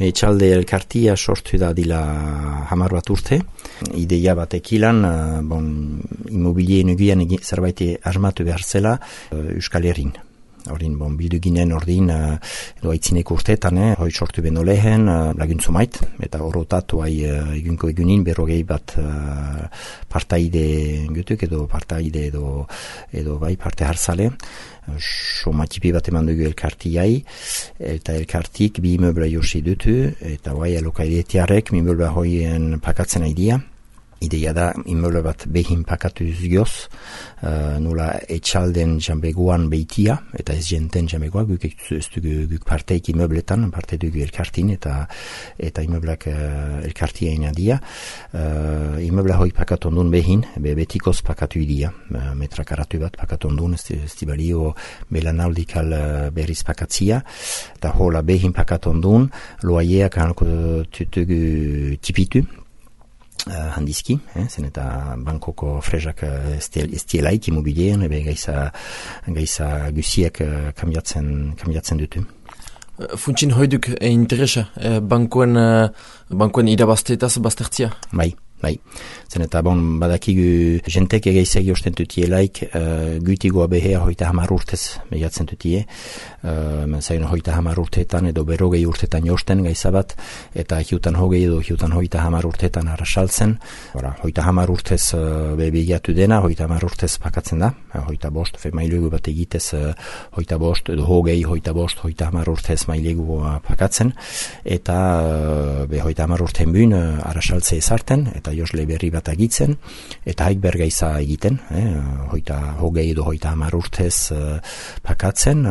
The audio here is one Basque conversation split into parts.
Etxalde elkartia sortu da dila 10 bat urte. Ideia batek ilan, immobilien ugian zerbait asmatu behar zela Euskal Herrin. Horin, bildu ginen ordin, edo aitzineko urteetan, hoi sortu beno lehen, laguntzu mait, eta horotatu egunko egunin, berrogei bat partaide gutuk, edo partaide edo bai parte hartzale. Somatipi bat eman dugu elkartiai, eta elkartik bi immobla josi dutu, eta bai alokaidetiarek immobla hoien pakatzen aidia. Ideia da immobla bat behin pakatuz gioz, nola etxalden jambegoan beitia, eta ez jenten jambegoa, guk parteik immobletan, parte dugu elkartin, eta immoblak elkartiaina dia. Immobla hoi pakatondun behin, betikoz pakatu idia, metrakaratu bat pakatondun, ez dibalio belanaldikal berriz pakatzia, eta hola behin pakatondun, loaieak hanko tutugu tipitu, handizki, zen eta bankoko frezak estielaik immobilien, gaiza guziek kambiatzen dutu. Funtsin hoiduk interesa bankuen irabazteetaz baztertzia? Bai. Zen eta badakigu jentek egeizegi osten dutielaik guitigoa behea 30 urtez behiatzen dutie. Zain 30 urteetan edo berrogei urteetan josten gaizabat, eta hiutan hogei edo hiutan 30 urteetan arrasaltzen. 30 urtez behiatu dena, 30 urtez pakatzen da. 25 mailegu bat egitez 25 edo hogei, 30 urtez mailegu pakatzen. Eta 30 urtean bun arrasaltze ezarten, eta josle berri bat agitzen, eta haik bergaiza egiten, hogei edo 30 urtez pakatzen,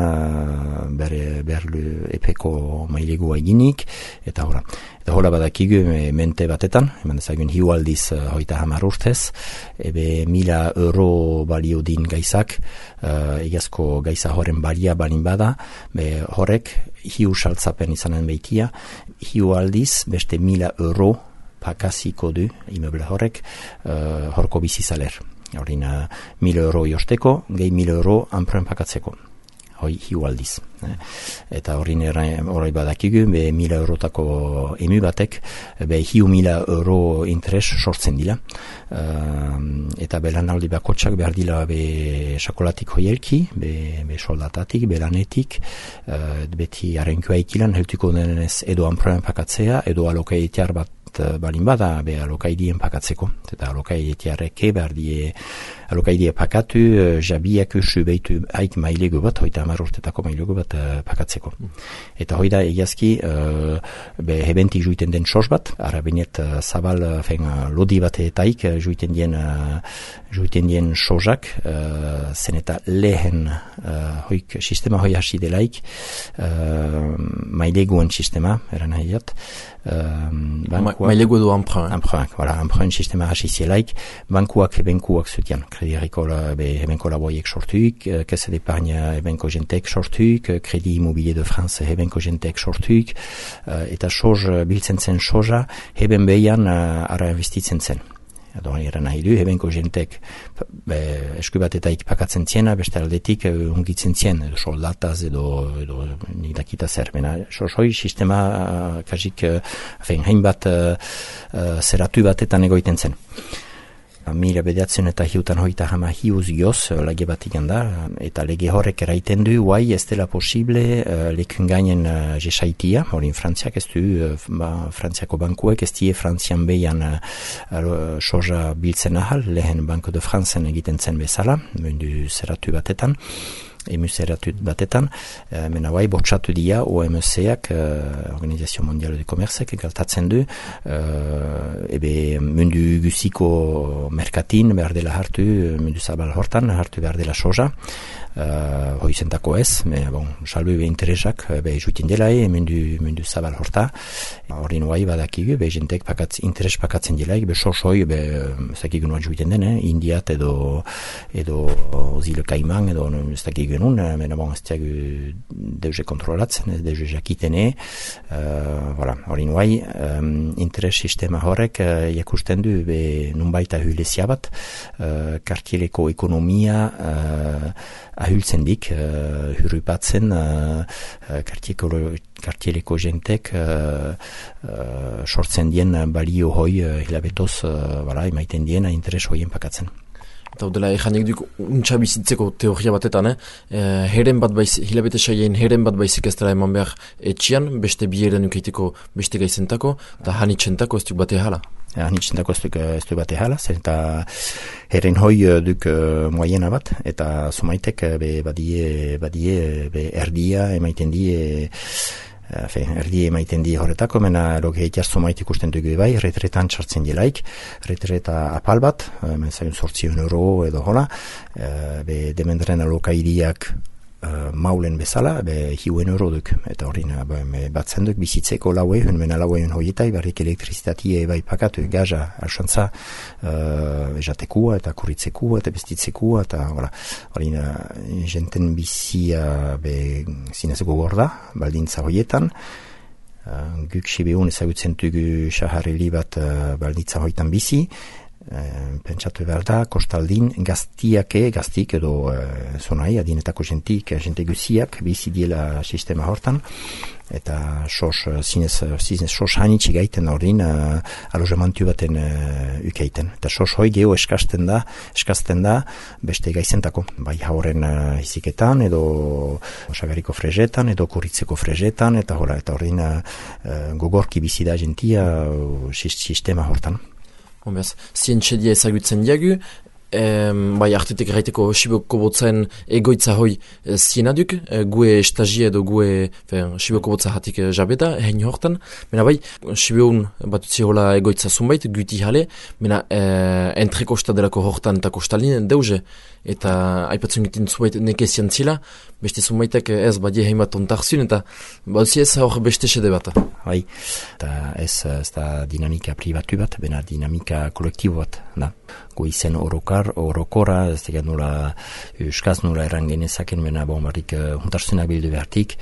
berlu epeko mailegua eginik, eta hola badakigu mente batetan, eman ezagun hiu aldiz 30 urtez, ebe 1.000 euro balio din gaizak, egazko gaiza horren balia balin bada, horrek hiu saltzapen izanen beitia, hiu aldiz beste 1.000 euro pakaziko du immobla horrek horko bizizaler. Horin 1.000 euro josteko, gehi 1.000 euro anproen pakatzeko. Hoi hiu aldiz. Eta horin horrei badakigu, 1.000 eurotako emu batek, hiu 1.000 euro interes sortzen dila. Eta belanaldi bakotxak behar dila sakolatik hoielki, soldatatik, belanetik, beti harenkua ikilan, heltuko denez edo anproen pakatzea, edo alokaitiar bat balin bada alokaidien pakatzeko, eta alokaidetiarreke behar die alokaidea pakatu, jabiak usu behitu haik mailegu bat, 30 urtetako mailegu bat pakatzeko. Eta hoi da egiazki hebentik juiten den sos bat, arabinet zabal lodi bat etaik juiten dien sosak, zen eta lehen hoik sistema hoi hasi delaik maileguen sistema, eran haiat, mailegu edo emprunt. Emprunt sistema hasi zielaik, bankuak zutian. Kredi Agrikola hebenko laboiek sortuik, Caisse d'Epargne hebenko jentek sortuik, Kredi Immobilier de France hebenko jentek sortuik, eta soz biltzen zen soza heben behian ara investitzen zen. Edo eran nahi du, hebenko jentek eskubatetaik pakatzen ziena, beste aldetik ungitzen zien, edo soldataz edo nidakita zer. Sozoi sistema kasik hainbat zeratu batetan egoiten zen. Mila bediatzen eta hiutan hoita hama hiuz gioz lege bat da, eta lege horrek eraiten du, guai ez dela posible lekun gainen jesaitia, horin Frantziak ez du, Frantziako bankuek ez die Frantzian behian soja biltzen ahal, lehen Banco de Francen egiten zen bezala, mundu zeratu batetan, emuseratut batetan, mena bai bortxatu dia OMC-ak, Organisation Mondiale de Commerce-ek, galtatzen du, mundu guziko merkatin behar dela hartu, mundu zabal hortan, hartu behar dela soja, hoizentako ez, salbu interesak, jutin dela mundu zabal horta, horin bai badakigu, jentek interes pakatzen delaik, sosoi, zakigun bat juiten den, Indiat edo Zile Kaiman, edo ez dakik genuen, ez diagu deuze kontrolatzen, ez deuze jakitene, horin bai, interes sistema horrek jakusten du, nunbaita hulezia bat, kartieleko ekonomia ahultzen dik, hurrupatzen kartiereko jentek sortzen dien balio hoi hilabetoz emaiten dien interes hoien pakatzen. Eta dela janik duk untsa bizitzeko teoria batetan, heren bat baizik, hilabete saien heren bat baizik ez dela eman behar etxian, beste bieren ukeiteko beste gaizentako, eta hanitzentako ez duk bate hala. Hanitzentako ez duk bate hala, zen eta heren hoi duk moiena bat, eta somaitek badie erdia emaiten die, erdi emaiten di horretako, mena loge itiarzo maite ikusten dugu bai, retretan txartzen dielaik, retreta apal bat, zaiun €8 edo hola, demendren aloka iriak maulen bezala, €1 duk, eta horrin batzen duk bizitzeko laue, mena laue hoietai, barrik elektrizitatea bai pakatu, gaza, alxantza, ejatekua, eta kurritzekua, eta bestitzekua, eta horrin jenten bizia zinezeko gorda, baldintza hoietan, guk sibeun ezagutzen dugu sahareli bat baldintza hoietan bizi, pentsatu behar da, kostaldin gaztik edo zonai, adinetako jente guziak bizi diela sistema hortan, eta zinez sos hanitsi gaiten horrin alojamantu baten ukeiten. Eta sos hoi geho eskazten da beste gaizentako, bai hauren iziketan, edo osagariko frezetan, edo kurritzeko frezetan, eta horrin gogorki bizi da jentia sistema hortan. Honbeaz, zientxedia ezagutzen diagu, bai artetek erraiteko Siboko botzen egoitza hoi zienaduk, gue estagia edo gue Siboko botza hatik jabeda, hein hortan, mena bai, Sibeun batutzi hola egoitza zunbait, guti jale, mena entre kostadelako hortan eta kostalinen deuze, eta aipatzen gitin zubait neke ziantzila, beste zunbaitek ez badie heimat ontarzun, eta baduzi ez hor beste sede bat. Bai, eta ez da dinamika privatu bat, bena dinamika kolektibo bat, da. Izen orokora, ez tegat nula euskaz nula erran genezaken, bena barrik huntarzunak bildu behartik,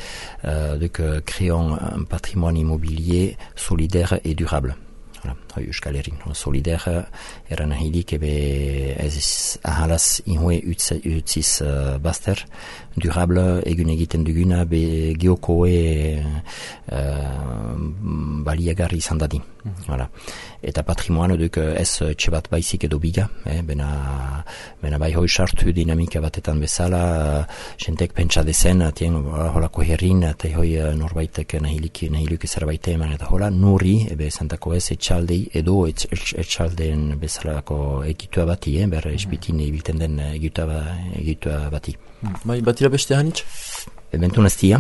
duk créons un patrimoine immobilier solidaire et durable. Euskal Herrin, solidaire erran ahilik ez ahalaz inhue utziz baster, durable egun egiten duguna geokoe baliagarri izan dadin. Eta patrimoine duk ez txebat baizik edo biga, bena bai hoi sartu dinamika batetan bezala, jentek pentsa dezen, holako herrin, eta hoi norbaitek nahiluk ezerbaite eman, eta hola nuri, zentako ez etxaldei edo etxaldeen bezalako egitua bati, berra espitin ibilten den egitua bati. Bai, batira beste hanitz? Bentuneztia,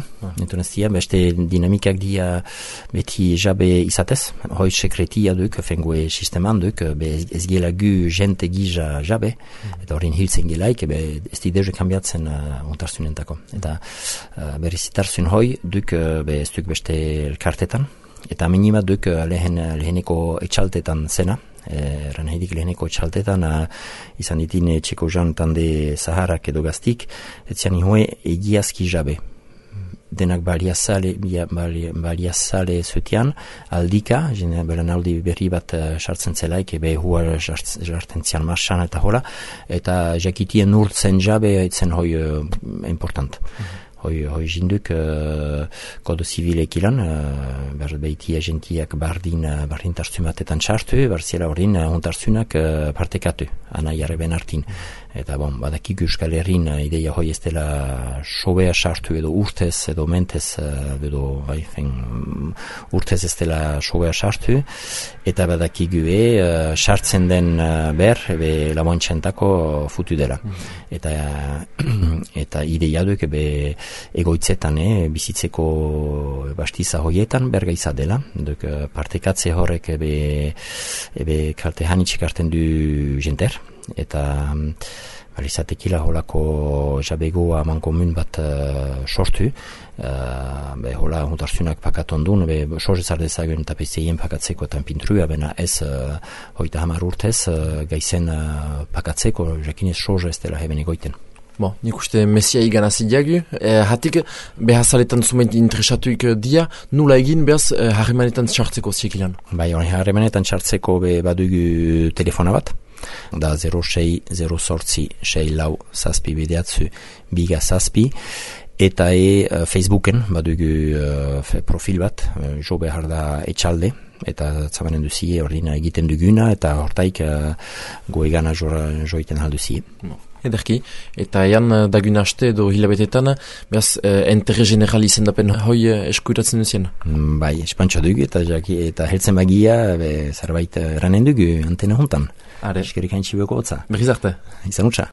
beste dinamikak dia beti jabe izatez, hoi sekretia duk, fengue sisteman duk, ez gela gu jente giza jabe, eta horrin hiltzen gelaik, ez di deje kambiatzen untarzunentako. Eta berrizitarzun hoi duk, ez duk beste elkartetan, eta minima duk leheneko etxaltetan zena, ranheidik leheneko etxaltetan izan ditin txeko jan tande zaharrak edo gaztik, etzian ihue egiazki jabe. Denak baliazale zutian, aldika, belanaldi berri bat sartzen zelaik, hua jartzen zian marxan eta hola, eta jakitien urtzen jabe etzen hoi important. Hoi jinduk kodo zivilek ilan, behitia gentiak bardin tarzumatetan txartu, barziela horrin huntarzunak partekatu, anai arreben hartin. Eta badakik Euskal Herrin ideia hoi ez dela sobea sartu edo urtez edo mentez edo urtez ez dela sobea sartu, eta badakik sartzen den ber lamontxentako futu dela. Eta ideia duk egoitzetan, bizitzeko bastiza hoietan bergaiza dela, duk partekatze horrek kalte hanitxik hartzen du jenter, eta balizatekila holako jabegoa mankomun bat sortu, hola huntarzunak pakatondun, sozezar dezagun eta pezeien pakatzeko eta pintrua, bena ez 30 urtez gaizen pakatzeko, jakinez soz ez dela heben egoiten. Bon, nik uste mesia igan azidiagu, hatik behazaletan zument interesatuik dia, nula egin behaz harremanetan txartzeko ziekilan? Bai, harremanetan txartzeko badugu telefona bat, da 06-06-6 lau zazpi bideatzu biga zazpi, eta Facebooken badugu profil bat, jo behar da etxalde, eta zabanen duzie ordina egiten duguna, eta hortaik goegana joiten halduzie. Ederki, eta ean dagun haste edo hilabetetan, behaz, enterre general izendapen hoi eskuiratzen duzien? Bai, espantxa dugu, eta heltzen bagia, zerbait eranen dugu antena hontan. Are. Eskerik haintzi beko hotza. Berriz arte. Izan utza.